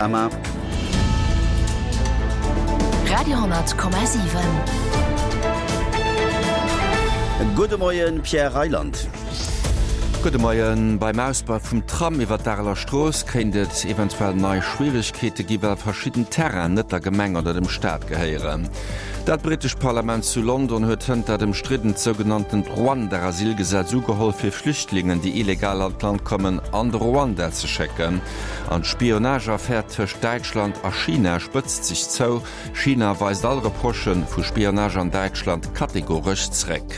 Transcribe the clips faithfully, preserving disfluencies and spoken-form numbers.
Radio hundert Komma siwen. Gudde Moien, Pierre Reyland. Gudde Moien. Beim Ausbau vum Tram iwwer d'Areler Strooss kéint et eventuell nei Schwieregkeete gi well verschidden Terrainen net der Gemeng oder dem Staat gehéieren. Dat britescht Parlament zu London huet hënt dat ëmstriddent sougenanntent Ruanda-Asylgesetz ugeholl fir Flüchtlingen, déi illegal an d'Land kommen, an de Ruanda ze schécken. An d'Spionageaffär tëscht Däitschland a China spëtzt sech zou. China weist all Reprochë vu Spionage an Däitschland kategoresch zréck.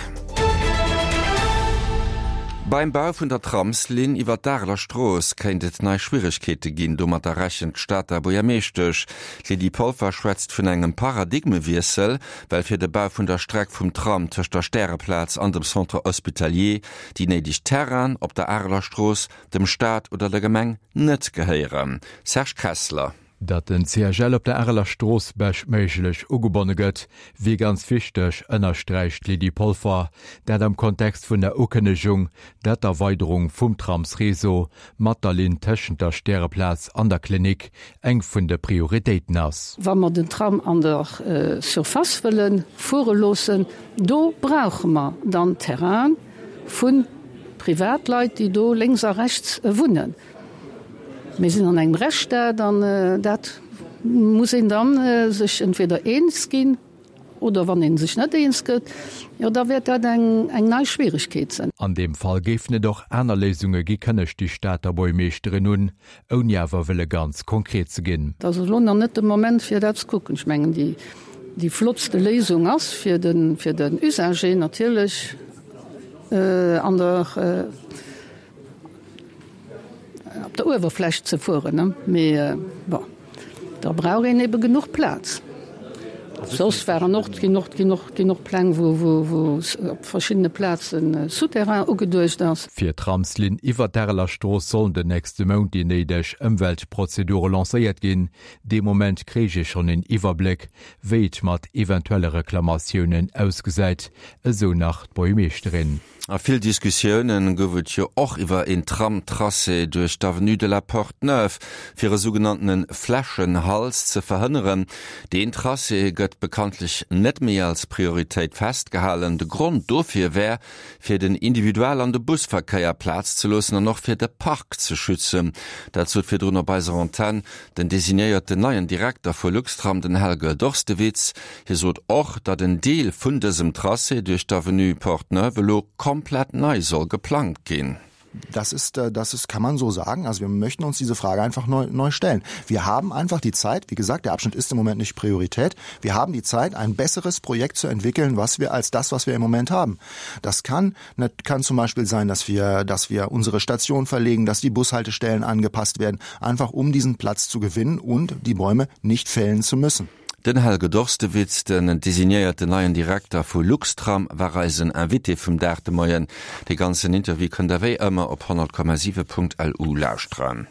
Beim Bau vun der Tramslinn iwwer d'Areler Strooss kéint et nei Schwieregkeete ginn. Domatter rechent d'Stater Buergermeeschtesch. D'Lydie Polfer schwätzt vun engem Paradigmewiessel, well fir de Bau vun der Streck vum Tram tëscht der Stäreplaz an dem Centre Hospitalier déi néideg Terrainen op der Areler Strooss dem Staat oder der Gemeng net gehéieren. Serge Kessler. Datt den C H L op der Areler Strooss beschtméiglech ugebonne gëtt, wier ganz wichteg, ënnersträicht d'Lydie Polfer, dat am Kontext vun der Ukënnegung, datt d'Erweiderung vum Tramsreseau mat der Linn tëschent der Stäreplaz an der Klinik eng vun de Prioritéiten ass. Wa mer den Tram an der Surface wëlle fuere loossen, do brauche mer dann Terraine vu Privatleit, déi do lénks a rechts wunnen. Mir sinn an engem Rechtsstaat an dat muss een dann sech entweder eens ginn oder wann een sech net eens gëtt, jo da wäert dat eng eng nei Schwieregkeet sinn. An deem Fall géifen et och aner Léisunge gi kënnegt déi Stater Buergermeeschterin un, ouni awer wëlle ganz konkret ze ginn. Dat ass elo nach net de Moment fir dat ze kucken. Ech mengen déi déi flottste Léisung ass fir den fir den Usager natierlech an der op der Uewerfläch ze fueren, mee bon, da brauch een ebe genuch Plaz. Soss waren och ginn och ginn och ginn och Pläng, wou wou wou op verschiddene Plazen Souterrain ugeduecht ass. Fir d'Tramslinn iwwer d'Areler Strooss sollen den nächste Mount déi néideg Ëmweltprozedure lancéiert ginn. Dee Moment kréich ee schonn een Iwwerbléck, wéi et mat eventuelle Reklamatiounen ausgesäit, esou nach d'Buergermeeschterin. A vill Diskussioune gouf et jo och iwwer een Tram-Tracé duerch d'Avenue de la Porte-Neuve, fir e sougenanntene Fläschenhals ze verhënneren. Deen Tracé gëtt bekanntlech net méi als Prioritéit festgehalen. De Grond dofir wär, fir den Individual an de Busverkéier Plaz ze loossen an och fir de Park ze schützen. Dat sot virdrun op eiser Antenn den designéierten neien Direkter vu Luxtram, den Helge Dorstewitz. Hie sot och, datt en Deel vun dësem Tracé duerch d'Avenue Porte-Neuve elo komplett nei soll geplangt ginn. Das ist, äh, das ist, kann man so sagen. Also wir möchten uns diese Frage einfach neu, neu stellen. Wir haben einfach die Zeit, wie gesagt, der Abschnitt ist im Moment nicht Priorität. Wir haben die Zeit, ein besseres Projekt zu entwickeln, was wir als das, was wir im Moment haben. Das kann, kann zum Beispiel sein, dass wir, dass wir unsere Station verlegen, dass die Bushaltestellen angepasst werden, einfach um diesen Platz zu gewinnen und die Bäume nicht fällen zu müssen. Den Helge Dorstewitz, den designéierten neien Direkter vu Luxtram, war eisen Invité vum Dag de Moien. De ganzen Interview kënnt der wéi ëmmer op honnert Komma siwe Punkt L U lauschteren.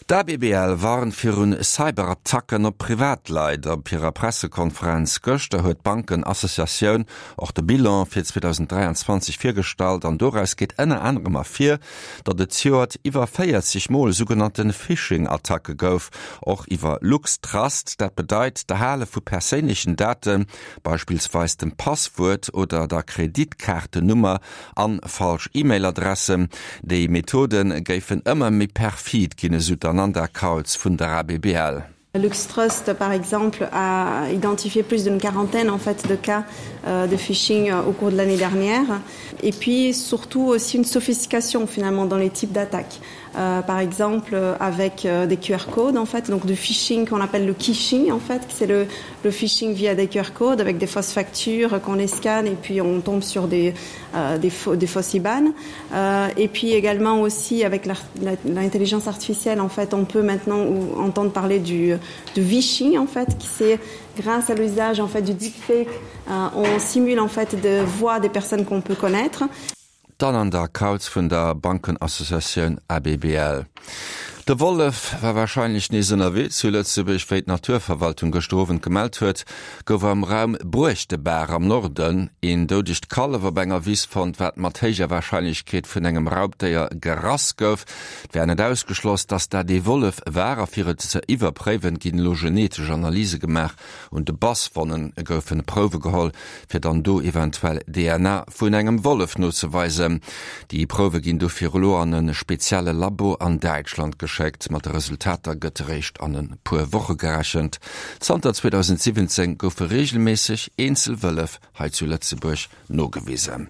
D'A B B L warnt virun Cyberattacken op Privatleit. Op hirer Pressekonferenz gëschter huet d'Bankenassociatioun och de Bilan fir zweedausenddräianzwanzeg virgestallt an doraus geet ënner anerem ervir, datt et zejoert iwwer véierzeg Mol sougenannte Phishing-Attacke gouf, och iwwer LuxTrust. Dat bedeit d'Erhale vu perséinlechen Daten, beispillsweis dem Passwuert oder der Kreditkaartennummer an falsch E-Mail-Adressen. Déi Methode géifen ëmmer méi perfid ginn, esou d'Ananda Kautz vun der A B B L. LuxTrust, par exemple, a identifié plus d'une quarantaine en fait de cas euh, de phishing euh, au cours de l'année dernière. Et puis surtout aussi une sophistication finalement dans les types d'attaques. Euh, par exemple avec euh, des Q R codes en fait, donc du phishing qu'on appelle le quishing en fait, c'est le, le phishing via des Q R codes avec des fausses factures qu'on les scanne et puis on tombe sur des, euh, des, faux, des fausses I B A N. Euh, et puis également aussi avec l'intelligence artificielle en fait, on peut maintenant entendre parler du, du vishing en fait, qui c'est grâce à l'usage en fait du deepfake, euh, on simule en fait de voix des personnes qu'on peut connaître. D'Ananda Kautz vun der Bankenassociatioun A B B L. De Wollef war warscheinlech nees ënnerwee zu Lëtzebuerg. Wéi d'Naturverwaltung gëschter Owend gemellt huet, gouf am Raum Bruechtebaach am Norden een doudegt Kallef op enger Wiss fonnt, wat mat héijer Warscheinlechkeet vun engem Raubdéier gerass gouf. Et wär net ausgeschloss, datt dat ee Wollef war a fir et ze iwwerpréiwen, ginn elo genetesch Analyse gemaach. Un de Basswonnen goufen Prouwe geholl, fir dann do eventuell D N A vun engem Wollef nozeweisen. Déi Prouwe ginn dofir elo an e spezielle Labo an Däitschland geschéckt. Mat de Resultater gëtt eréischt an e puer Woche gerechent. Zanter zweedausendsiwwenzéng goufe reegelméisseg eenzel Wëllef hei zu Lëtzebuerg nogewisen.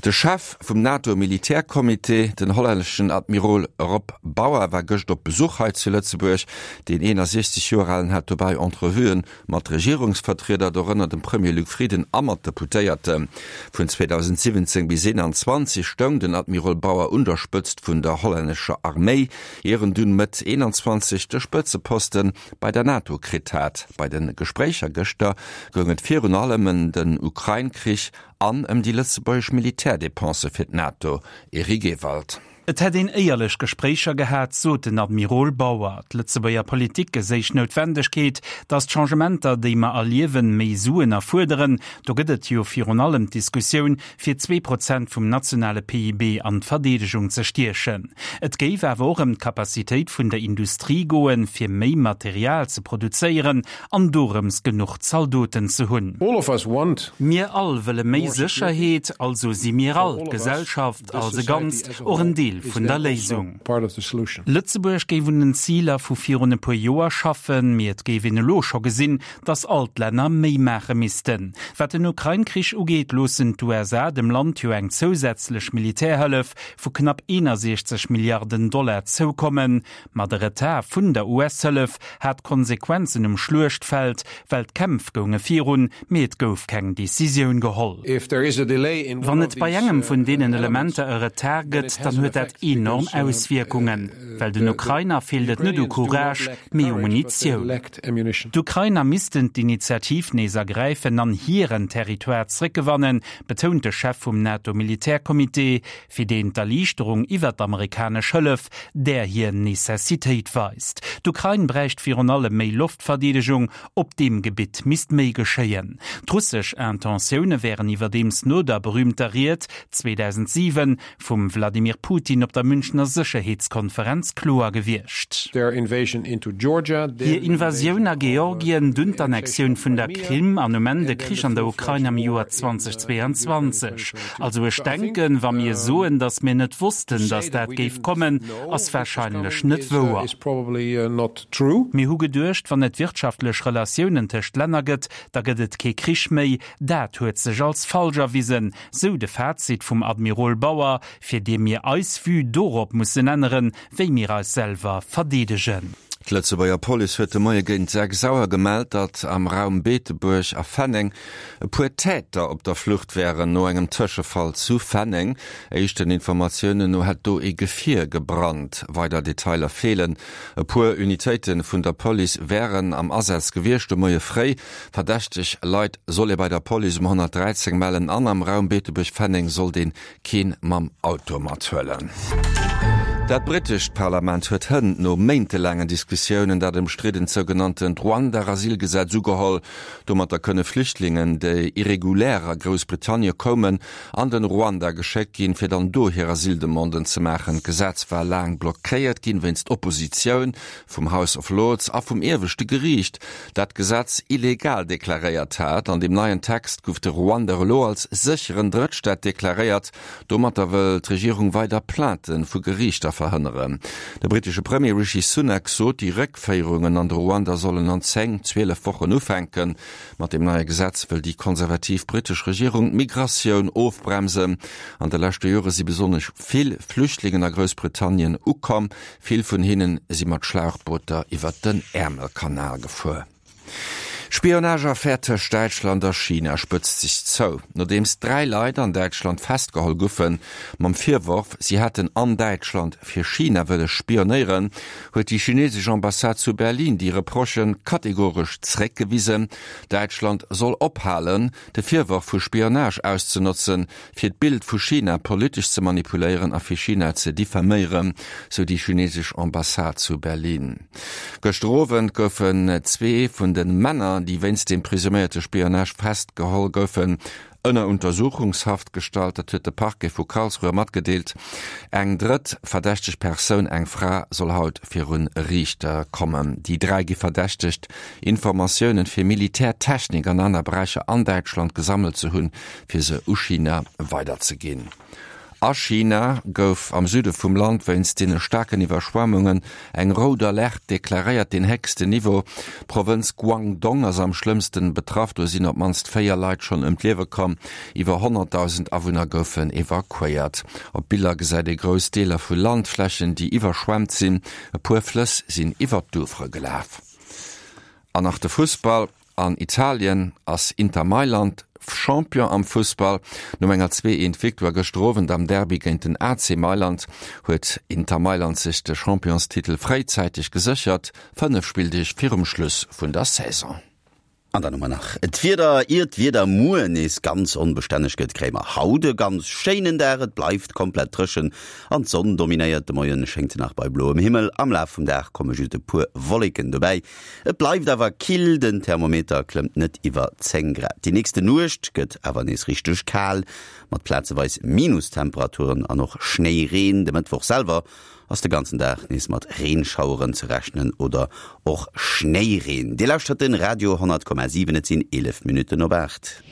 De Chef vum NATO-Militärcomité, den hollänneschen Admirol Rob Bauer, war gëscht op Besuch hei zu Lëtzebuerg. Den eenundsechzeg Joer alen hat dobäi Entrevuen mat Regierungsvertrieder, dorënner dem Premier Luc Frieden a mat Deputéierte. Vun zweedausendsiwwenzéng bis eenanzwanzeg stoung den Admirol Bauer un der Spëtzt vun der hollännescher Arméi, ier en dunn Mëtt eenanzwanzeg de Spëtzeposten bei der NATO kritt hat. Bei den Gespréicher gëschter goung et virun allem ëm den Ukrain-Krich an ëm déi lëtzebuergesch Militärdépense fir d'NATO. Eric Ewald. Et hätt een éierlech Gespréicher gehat, sot den Admirol Bauer. D'Lëtzebuerger Politik geséich Noutwendegkeet, datt d'Changementer, déi mer erliewen, méi Suen erfuerderen. Do gëtt et jo virun allem d'Diskussioun, fir zwee Prozent vum nationale P I B an d'Verdeedegung ze stiechen. Et géif awer och ëm d'Kapazitéit vun der Industrie goen, fir méi Material ze produzéieren an dorëms genuch Zaldoten ze hunn. All of us want Mir all wëlle méi more security. Sécherheet, also si mir all, For all of us, d'Gesellschaft this als e society Ganzt, as a och en whole Deel is vun der then also Léisung. part of the solution. Lëtzebuerg géif un den Ziler vu virun e puer Joer schaffen, mee et géif een elo scho gesinn, datt all d'Länner méi maache missten. Wat den Ukrain-Krich ugeet, loossen d'U S A dem Land jo eng zousätzlech Militärhëllef vu knapp eenundsechzeg Milliarden Dollar zoukommen. Ma de Retard vun der U S-Hëllef hat Konsequenzen um Schluechtfeld, well d'Kämpf gounge virun, mee et gouf keng Decisioun geholl. If there is a delay in Wann one et of bei these, engem vun uh, deenen elements, Elementer e Retard then gëtt, it has dann an huet dat effect enorm because, uh, Auswirkungen. uh, Well den the, the Ukrainer feelt et net u Ukrainians do not Courage, lack mee u courage, but they Munitioun. lacked ammunition. D'Ukrainer missten d'Initiativ nees ergräifen an hiren Territoire zréckgewannen, betount de Chef vum NATO-Militärcomité, fir deen d'Erliichterung iwwer d'amerikanesch Hëllef, där hir Necessitéit weist. D'Ukrain bräicht virun allem méi Loftverdeedegung, op deem Gebitt misst méi geschéien. D'russesch Intentioune wären iwwerdeems no der berühmter Ried zweetausendsiewen vum Wladimir Putin op der Münchner Sicherheetskonferenz kloer gewiescht. Their invasion into Georgia, their Hir Invasioun a invasion of, uh, Georgien, dunn the d'Annexion annexation vun of der Crimea, Krim an um Ende and then Krich the an der full-fledged Ukraine am war Joer in, uh, in Ukraine zweitausendzweiundzwanzeg. twenty twenty-two. Also ech So I think, denken, wa mir um, soen, datt mir net to wussten, say datt that dat we géif didn't kommen, know ass this was wahrscheinlech coming net is, uh, wouer. is probably, uh, not true. Mir hu geduecht, wann et wirtschaftlech Relatiounen tëscht Länner gëtt, da gëtt et kee Krich méi. Dat huet sech als falsch erwisen. Sou de Fazit vum Admirol Bauer, fir dee mir eis Vue dorop mussen änneren, wéi mir eis selwer verdeedegen. D'Lëtzebuerger Police huet de Moie géint sechs Auer gemellt, datt am Raum Beetebuerg a Fenneng e puer Täter op der Flucht wären no engem Tëschefall zu Fenneng. Éischten Informatiounen no hätt do e Gefier gebrannt. Weider Detailer feelen. E puer Unitéiten vun der Police wären am Asaz gewiescht de Moie fréi. Verdächteg Leit soll ee bei der Police um honnertdräizéng mellen an am Raum Beetebuerg-Fenneng soll deen keen mam Auto mathuelen. Dat britescht Parlament huet hënt no méintelaangen Diskussiounen dat ëmstriddent sougenanntent Ruanda-Asylgesetz ugeholl. Domatter kënne Flüchtlingen, déi irregulär a Groussbritannie kommen, an den Ruanda geschéckt ginn, fir dann do hir Asyldemanden ze maachen. D'Gesetz war laang blockéiert ginn wéinst Oppositioun vum House of Lords a vum ieweschte Geriicht, dat d'Gesetz illegal deklaréiert hat. An dem neien Text gouf de Ruanda elo als sécheren Drëttstaat deklaréiert. Domatter wëll d'Regierung weider Plainten vu Geriichter verhënneren. De britesche Premier Rishi Sunak sot, déi Réckféierungen an de Ruanda sollen an zéng, zwielef Wochen ufänken. Mat dem neie Gesetz wëll déi konservativ britesch Regierung d'Migratioun ofbremsen. An de leschte Jore si besonnesch vill Flüchtlingen a Groussbritannien ukomm. Vill vun hinnen si mat Schlauchbooter iwwer den Äermelkanal gefuer. D'Spionageaffär tëscht Däitschland a China spëtzt sech zou, nodeems dräi Leit an Däitschland festgeholl goufe mam Virworf, si hätten an Däitschland fir China wëlle spionéieren, huet déi chinesesch Ambassade zu Berlin déi Reprochë kategoresch zeréckgewisen. Däitschland soll ophalen, de Virworf vu Spionage auszenotzen, fir d'Bild vu China politesch ze manipuléieren a fir China ze diffaméieren, sou déi chinesesch Ambassade zu Berlin. Gëschter Owend goufen zwee vun de Männer, déi wéinst dem presuméierte Spionage festgeholl goufen, ënner Untersuchungshaft gestallt. Dat huet de Parquet vu Karlsruhe matgedeelt. Eng drëtt verdächteg Persoun, eng Fra, soll haut virun e Riichter kommen. Déi dräi gi verdächtegt, Informatiounen fir Militärtechnik an aner Beräicher an Däitschland gesammelt ze hunn, fir se u China weiderzeginn. A China gouf am Süde vum Land wéinst deene staarken Iwwerschwemmungen eng rout Alerte deklaréiert, deen héchsten Niveau. D'Provënz Guangdong ass am schlëmmsten betraff, do sinn op d'mannst véier Leit schonn ëm d'Liewe komm, iwwer honnertdausend Awunner goufen evakuéiert. Op Biller gesäit ee grouss Deeler vu Landflächen, déi iwwerschwemmt sinn. E puer Flëss sinn iwwer d'Ufere gelaf. An nach de Fussball, An Italien ass Inter Mailand Champion am Fussball. No enger zwee eent Victoire gëschter Owend am Derby géint den A C Mailand huet Inter Mailand sech de Championstitel fréizäiteg geséchert, fënnef Spilldeeg virum Schluss vun der Saison. An dann hu mer nach d'Wieder. Ier d'Wieder muer nees ganz onbestänneg gëtt, kréie mer haut e ganz schéinen Dag. Et bleift komplett dréchen an d'Sonn dominéiert. De Moien schéngt se nach bei bloem Himmel, am Laf vum Dag komme just e puer Wolleken dobäi. Et bleift awer kill, den Thermometer klëmmt net iwwer zéng Grad. Déi nächste Nuecht gëtt awer nees richteg kal, mat plazeweis Minustemperaturen an och Schnéireen. De Mëttwoch selwer ass de ganzen Dag nees mat Reenschaueren ze rechnen oder och Schnéireen. Dir lauschtert den Radio honnert Komma siwen, et sinn eelef Minutten op aacht.